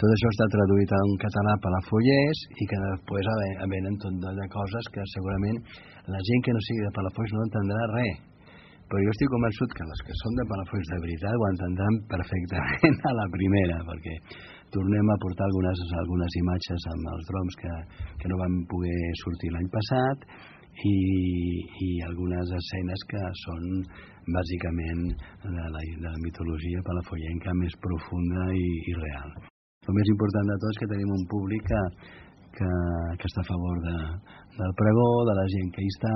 Tot això està traduït en català per la Palafollers i que després venen tot de coses que segurament la gent que no sigui de Palafolls no entendrà res. Però jo estic convençut que les que són de Palafolls de veritat ho entendran perfectament a la primera, perquè tornem a portar algunes imatges amb els drons que no van poder sortir l'any passat i algunes escenes que són bàsicament de la mitologia palafollenca més profunda i real. El més important de tot és que tenim un públic que està a favor del pregó, de la gent que hi està,